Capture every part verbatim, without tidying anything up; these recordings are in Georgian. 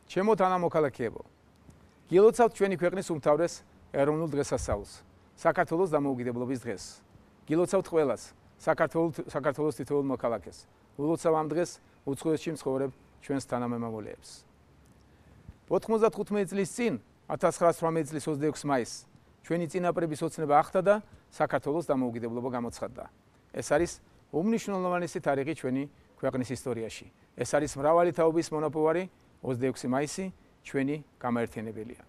ჩემო თანამოქალაქეებო, გილოცავთ ჩვენი ქვეყნის უმთავრეს ეროვნულ დღესასწაულს, საქართველოს დამოუკიდებლობის დღეს. გილოცავთ ყველას, საქართველოს თითოეულ მოქალაქეს. ულოცავ ამ დღეს უცხოეთში მცხოვრებ ჩვენს თანამემამულეებს. ოთხმოცდახუთი წლის წინ, ათას ცხრაასი ოცდაოთხ წლის ოცდაექვსი მაისს, ჩვენი წინაპრების ოცნება ახტა და საქართველოს დამოუკიდებლობა გამოცხადდა. ეს არის უმნიშვნელოვანესი თარიღი ჩვენი ქვეყნის ისტორიაში. ეს არის მრავალი თაობის მონაპოვარი ოცდაექვსი მაისი ჩვენი გამაერთიანებელია.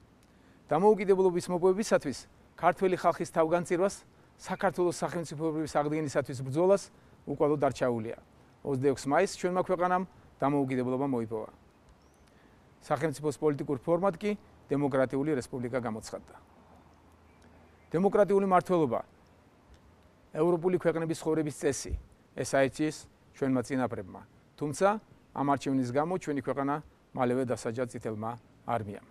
დამოუკიდებლობის მოპოვებისათვის ქართველი ხალხის თავგანწირვას, საქართველოს სახელმწიფოების აღდგენისათვის ბრძოლას უკვალოდ დარჩაულია. ოცდაექვსი მაისს ჩვენმა ქვეყანამ დამოუკიდებლობა მოიპოვა. სახელმწიფოს პოლიტიკურ ფორმად კი დემოკრატიული რესპუბლიკა გამოცხადდა. დემოკრატიული მმართველობა, ევროპული ქვეყნების ცხოვრების წესი, ეს აირჩიეს ჩვენმა წინაპრებმა. თუმცა ამ არჩევნის გამო ჩვენი ქვეყანა მალევე დასაჯა წითელმა არმიამ.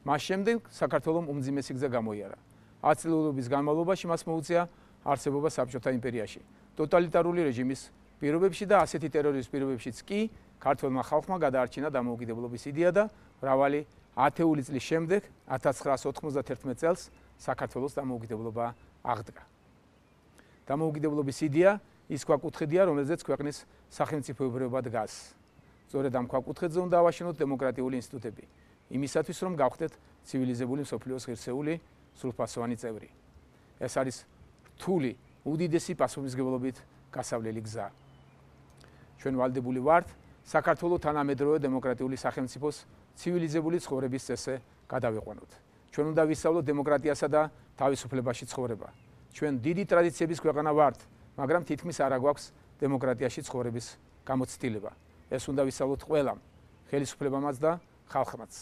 მას შემდეგ საქართველომ უმძიმესი გზა გამოიარა. ათი წლების განმავლობაში მას მოუწია არსებობა საბჭოთა იმპერიაში. ტოტალიტარული რეჟიმის პირობებში და ასეთი ტერორიზმის პირობებშიც კი ქართველმა ხალხმა გადაარჩინა დამოუკიდებლობის იდეა და მრავალი ათეული წლის შემდეგ ათას ცხრაასი ოთხმოცდაერთი წელს საქართველოს დამოუკიდებლობა აღდგა. დამოუკიდებლობის იდეა ის ქვაკუთხედია, რომელზეც ქვეყნის სახელმწიფოებრიობა დგას. სწორედ ამ ქვაკუთხედზე უნდა ავაშენოთ დემოკრატიული ინსტიტუტები, იმისათვის რომ გავხდეთ ცივილიზებული მსოფლიოს ღირსეული სრულფასოვანი წევრი. ეს არის რთული, უდიდესი პასუხისმგებლობით გასავლელი გზა. ჩვენ ვალდებული ვართ საქართველოს თანამედროვე დემოკრატიული სახელმწიფოს ცივილიზებული ცხოვრების წესზე გადავიყვანოთ. ჩვენ უნდა ვისწავლოთ დემოკრატიასა და თავისუფლებაში ცხოვრება. ჩვენ დიდი ტრადიციების ქვეყანა ვართ, მაგრამ თითქმის არ აგვაქვს დემოკრატიაში ცხოვრების გამოცდილება. ეს უნდა ვისწავლოთ ყველამ, ხელისუფლებამაც და ხალხმაც.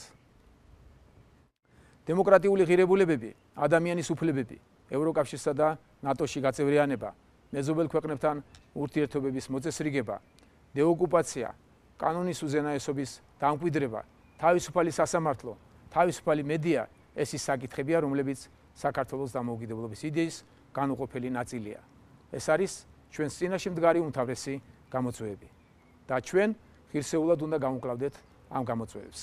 დემოკრატიული ღირებულებები, ადამიანის უფლებები, ევროკავშირსა და ნატოში გაწევრიანება, მეზობელ ქვეყნებთან ურთიერთობების მოწესრიგება, დეოკუპაცია, კანონის უზენაესობის დამკვიდრება, თავისუფალი სასამართლო, თავისუფალი მედია, ეს ის საკითხებია, რომლებიც საქართველოს დამოუკიდებლობის იდეის განუყოფელი ნაწილია. ეს არის ჩვენს წინაშე მდგარი უმთავრესი გამოწვევები და ჩვენ ღირსეულად უნდა გამოვკლავდეთ ამ გამოწვევებს.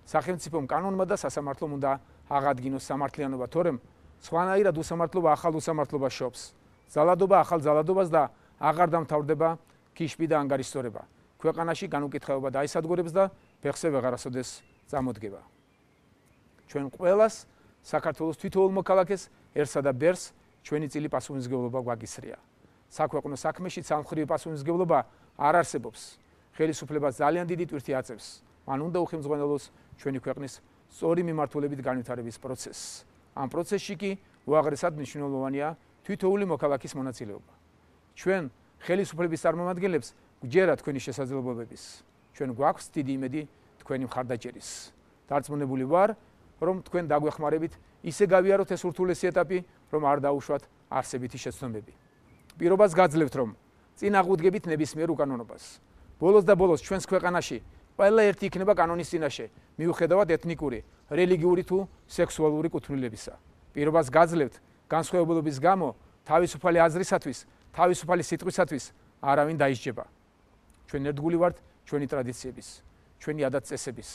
სახელმწიფომ კანონმა და სასამართლომ უნდა აღადგინოს სამართლიანობა, თორემ სხვანაირად უსამართლობა ახალ უსამართლობას შობს. ძალადობა ახალ ძალადობას და აღარ დამთავრდება ქიშბი და ანგარიშწორება. ქვეყანაში განუკითხაობა დაისადგურებს და ფეხზე ვეღარასოდეს წამოდგება. ჩვენ ყველას საქართველოს თითოეულ მოქალაქეს ერთსა და ბერს ჩვენი წილი პასუხისმგებლობა გვაგისრია. საქვეყნო საქმეში სამხრივი პასუხისმგებლობა არ არსებობს. ხელისუფლებას ძალიან დიდი ტვირთი აწევს. მან უნდა უხელმძღვანელოს ჩვენი ქვეყნის სწორი მიმართულებით განვითარების პროცესს. ამ პროცესში კი უაღრესად მნიშვნელოვანია თითოეული მოქალაქის მონაწილეობა. ჩვენ ხელისუფლების წარმომადგენლებს გვჯერა თქვენი შესაძლებლობების. ჩვენ გვაქვს დიდი იმედი თქვენი მხარდაჭერის. დარწმუნებული ვარ, რომ თქვენ დაგვეხმარებით ისე გავიაროთ ეს ურთულესი ეტაპი, რომ არ დაუშვათ არსებითი შეცდომები. პირობას გაძლევთ, რომ წინ აღვდგებით ნებისმიერ უკანონობას. ბოლოს და ბოლოს ჩვენს ქვეყანაში ყველა ერთი იქნება კანონის წინაშე, მიუხედავად ეთნიკური, რელიგიური თუ სექსუალური კუთვნილებისა. პირობას გაძლევთ განსხვავებულობის გამო თავისუფალი აზრისათვის, თავისუფალი სიტყვისათვის არავინ დაისჯება. ჩვენ ერთგული ვართ ჩვენი ტრადიციების, ჩვენი ადათ-წესების,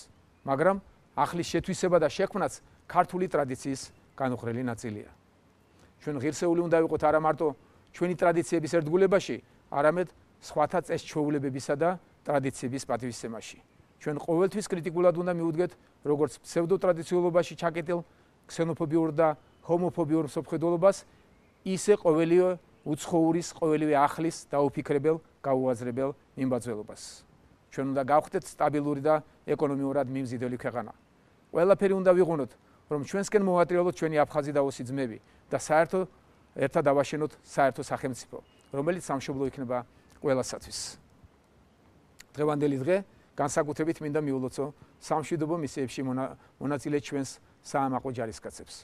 მაგრამ ახლის შეთვისება და შექმნაც ქართული ტრადიციის განუხრელი ნაწილია. ჩვენ ღირსეული უნდა ვიყოთ არა მარტო ჩვენი ტრადიციების ერთგულებაში, არამედ სხვათა წეს-ჩვეულებებისა და ტრადიციების პატივისცემაში. ჩვენ ყოველთვის კრიტიკულად უნდა მივუდგეთ როგორც ფსევდოტრადიციულობაში ჩაკეტილ ქსენოფობიურ და ჰომოფობიურ მსოფლმხედველობას, ისე ყოველივე უცხოურის, ყოველივე ახლის დაუფიქრებელ, გაუაზრებელ მიმბაძველობას. ჩვენ უნდა გავხდეთ სტაბილური და ეკონომიურად მიმზიდველი ქვეყანა. ყველაფერი უნდა ვიღუნოთ, რომ ჩვენსკენ მოვატრიალოთ ჩვენი აფხაზი და ოსი ძმები და საერთო ერთად ავაშენოთ საერთო სახელმწიფო, რომელიც სამშობლო იქნება ყველასათვის. დღევანდელი დღე განსაკუთრებით მინდა მიულოცო სამშვიდობო მისიებში მონაწილე ჩვენს საამაყო ჯარისკაცებს,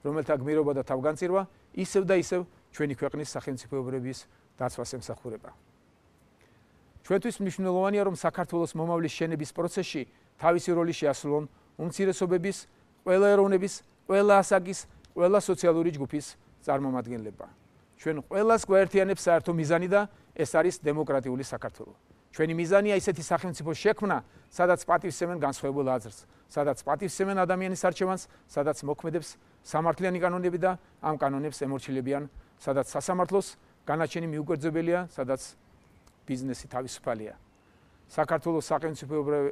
რომელთა გმირობა და თავგანწირვა ისევ და ისევ ჩვენი ქვეყნის სახელმწიფოებრიობის დაცვას ემსახურება. ჩვენთვის მნიშვნელოვანია, რომ საქართველოს მომავლის შენების პროცესში თავისი როლი შეასრულონ უმცირესობების, ყველა ეროვნების, ყველა ასაკის, ყველა სოციალური ჯგუფის წარმომადგენლება. ჩვენ ყველას გვაერთიანებს საერთო მიზანი და ეს არის დემოკრატიული საქართველო. ჩვენი მიზანია ისეთი სახელმწიფო შექმნა, სადაც პატივსცემენ განსხვავებულ აზრს, სადაც პატივსცემენ ადამიანის არჩევანს, სადაც მოქმედებს სამართლიანი კანონები და ამ კანონებს ემორჩილებიან, სადაც სასამართლოს განაჩენი მიუკვერძებელია, სადაც ბიზნესი თავისუფალია. საქართველოს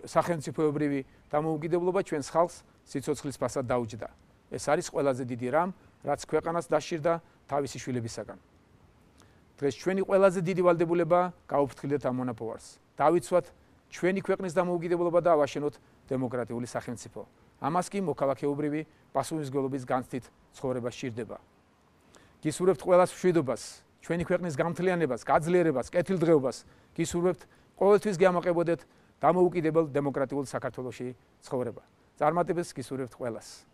სახელმწიფოებრივი დამოუკიდებლობა ჩვენს ხალხს სიცოცხლის ფასად დაუჯდა. ეს არის ყველაზე დიდი რამ, რაც ქვეყანას დასჭირდა თავისი შვილებისაგან. დღეს ჩვენი ყველაზე დიდი ვალდებულებაა გაუფრთხილდეთ ამ მონაპოვარს. დავიცვათ ჩვენი ქვეყნის დამოუკიდებლობა და ავაშენოთ დემოკრატიული სახელმწიფო. ამას კი მოქალაქეობრივი პასუხისმგებლობის განცდით ცხოვრება სჭირდება. გისურვებთ ყველას მშვიდობას, ჩვენი ქვეყნის გამთლიანებას, გაძლიერებას, კეთილდღეობას. გისურვებთ ყოველთვის გიამაყებოდეთ დამოუკიდებელ დემოკრატიულ საქართველოში ცხოვრება. წარმატებებს გისურვებთ ყველას.